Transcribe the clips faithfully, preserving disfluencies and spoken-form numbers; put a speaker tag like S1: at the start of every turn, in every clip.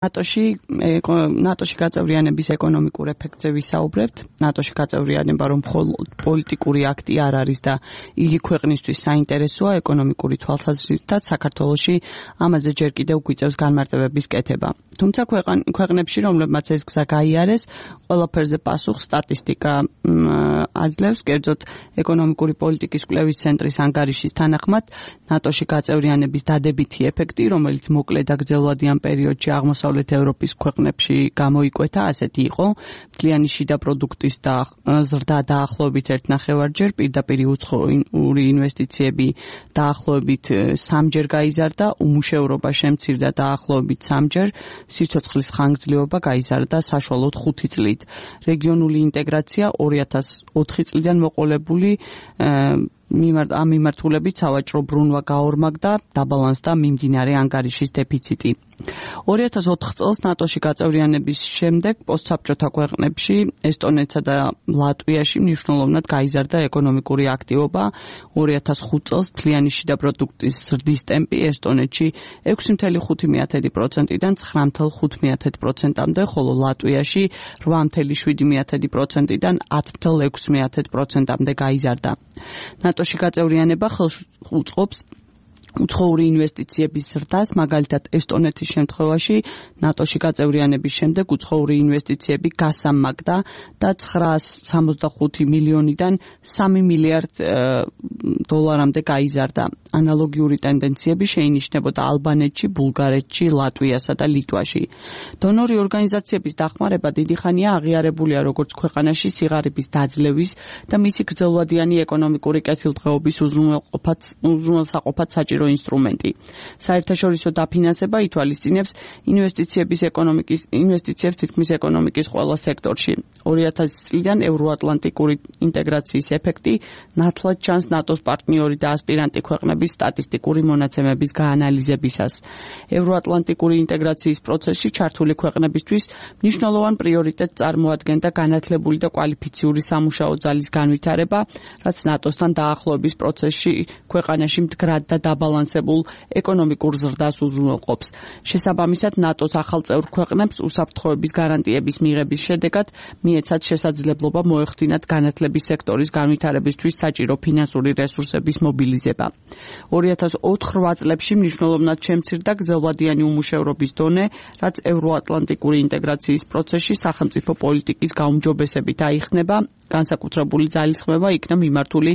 S1: ნატოში ნატოში გაწევრიანების ეკონომიკურ ეფექტზე ვისაუბრებთ. ნატოში გაწევრიანება რომ მხოლოდ პოლიტიკური აქტი არ არის და იგი ქვეყნისთვის საინტერესოა ეკონომიკური თვალსაზრისით, საქართველოში ამაზე ჯერ კიდევ გვიწევს განმარტებების კეთება. თუმცა ქვეყნებში, რომლებმაც ეს გზა გაიარეს, ყველაფერზე პასუხს სტატისტიკა აძლევს. კერძოდ, ეკონომიკური პოლიტიკის კვლევის ცენტრის ანგარიშის თანახმად, ნატოში გაწევრიანების დადებითი ეფექტი, რომელიც მოკლე და გრძელვადიან პერიოდში აღმოსავლეთ ევროპის ქვეყნებში გამოიკვეთა, ასეთი იყო: მთლიანი შიდა პროდუქტის და ზრდა დაახლოებით ერთ ნახევარჯერ, პირდაპირ უცხოური ინვესტიციები დაახლოებით სამჯერ გაიზარდა, უმუშევრობა შემცირდა დაახლოებით სამჯერ, სიცოცხლის ხანგრძლივობა გაიზარდა საშუალოდ ხუთი წლით. რეგიონული ინტეგრაცია ორი ათას ოთხი წლიდან მოყოლებული ამ მიმართულებით სავაჭრო ბრუნვა გაორმაგდა, დაბალანსდა მიმდინარე ანგარიშის დეფიციტი. ორი ათას ოთხ წელს ნატოში გაწევრიანების შემდეგ პოსტსაბჭოთა ქვეყნებში, ესტონეთსა და ლატვიაში მნიშვნელოვნად გაიზარდა ეკონომიკური აქტივობა. ორი ათას ხუთ წელს მთლიანი შიდა პროდუქტის ზრდის ტემპი ესტონეთში ექვსი წელი ხუთი პროცენტიდან ცხრა წელი ხუთი პროცენტამდე, ხოლო ლატვიაში რვა წელი შვიდი პროცენტიდან ათი წელი ექვსი პროცენტამდე გაიზარდა. ნატოში გაწევრიანება ხელს უწყობს უცხოური ინვესტიციების ზრდას, მაგალითად ესტონეთის შემთხვევაში ნატოში გაწევრიანების შემდეგ უცხოური ინვესტიციები გასამაგდა და ცხრაას სამოცდახუთი მილიონიდან სამი მილიარდ დოლარამდე გაიზარდა. ანალოგიური ტენდენციები შეინიშნებოდა ალბანეთში, ბულგარეთში, ლატვიასა და ლიტვაში. დონორი ორგანიზაციების დახმარება დიდი ხანია აღიარებულია როგორც ქვეყანაში სიღარიბის დაძლევის და მისი გრძელვადიანი ეკონომიკური კეთილდღეობის უზრუნველსაყოფად საჭირო ინსტრუმენტი. საერთაშორისო დაფინანსება ითვალისწინებს ინვესტიციების ეკონომიკის ინვესტიციებს თითქმის ეკონომიკის ყველა სექტორში. ორი ათასი წლიდან ევროატლანტიკური ინტეგრაციის ეფექტი ნათლად ჩანს ნატოს პარტნიორი და ასპირანტი ქვეყნების სტატისტიკური მონაცემების გაანალიზებისას. ევროატლანტიკური ინტეგრაციის პროცესში ჩართული ქვეყნებისთვის მნიშვნელოვან პრიორიტეტს წარმოადგენდა განათლებული და კვალიფიციური სამუშაო ძალის განვითარება, რაც ნატოსთან დაახლოების პროცესში ქვეყანაში მდგრად და დაბალანსებულ ეკონომიკურ ზრდას უზრუნველყოფს. შესაბამისად, ნატოს ახალ წევრ ქვეყნებს უსაფრთხოების გარანტიების მიღების შედეგად მიეცათ შესაძლებლობა მოეხდინათ განათლების სექტორის განვითარებისთვის საჭირო ფინანსური რესურსების მობილიზება. ორი ათას ოთხ რვა წლებში მნიშვნელოვნად შემცირდა გრძელვადიანი უმუშევრობის დონე, რაც ევროატლანტიკური ინტეგრაციის პროცესში სახელმწიფო პოლიტიკის გაუმჯობესებით აიხსნება, განსაკუთრებული ძალისხმევა იქნა მიმართული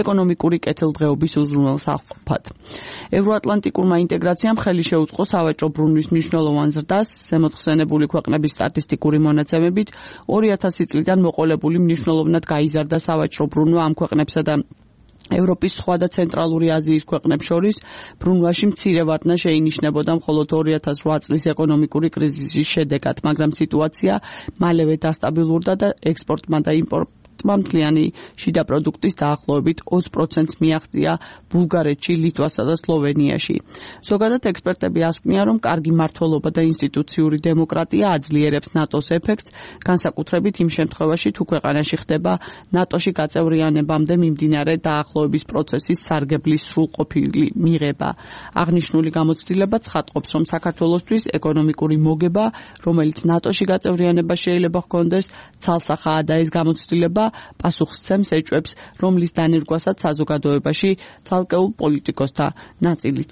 S1: ეკონომიკური კეთილდღეობის უზრუნველსაყოფად. ევროატლანტიკურმა ინტეგრაციამ ხელი შეუწყო სავაჭრო ბრუნვის მნიშვნელოვან ზრდას, ზემოთხსენებული ქვეყნების სტატისტიკური მონაცემებით ორი ათასი წლიდან მოყოლებული მნიშვნელოვნად გაიზარდა სავაჭრო ბრუნვა ამ ქვეყნებსა და ევროპის სხვა და ცენტრალური აზიის ქვეყნებს შორის. ბრუნვაში მცირე ვარდნა შეინიშნებოდა მხოლოდ ორი ათას რვა წლის ეკონომიკური კრიზისის შედეგად, მაგრამ სიტუაცია მალევე დასტაბილურდა და ექსპორტმა და იმპორტმა მთლიანი შიდა პროდუქტის დაახლოებით ოცი პროცენტს მიაღწია ბულგარეთში, ლიტვასა და სლოვენიაში. ზოგადად ექსპერტები ასკვნიან, რომ კარგი მმართველობა და ინსტიტუციური დემოკრატია აძლიერებს ნატოს ეფექტს, განსაკუთრებით იმ შემთხვევაში, თუ ქვეყანაში ხდება ნატოში გაწევრიანებამდე მიმდინარე დაახლოების პროცესის სარგებლის სრულყოფილი მიღება. აღნიშნული გამოცდილება ცხადყოფს, რომ საქართველოსთვის ეკონომიკური მოგება, რომელიც ნატოში გაწევრიანება შეიძლება ჰქონდეს, ცალსახაა და ეს გამოცდილება პასუხსცემს ეჭვებს, რომლის დანერგვასაც საზოგადოებაში ცალკეულ პოლიტიკოსთა ნაწილიც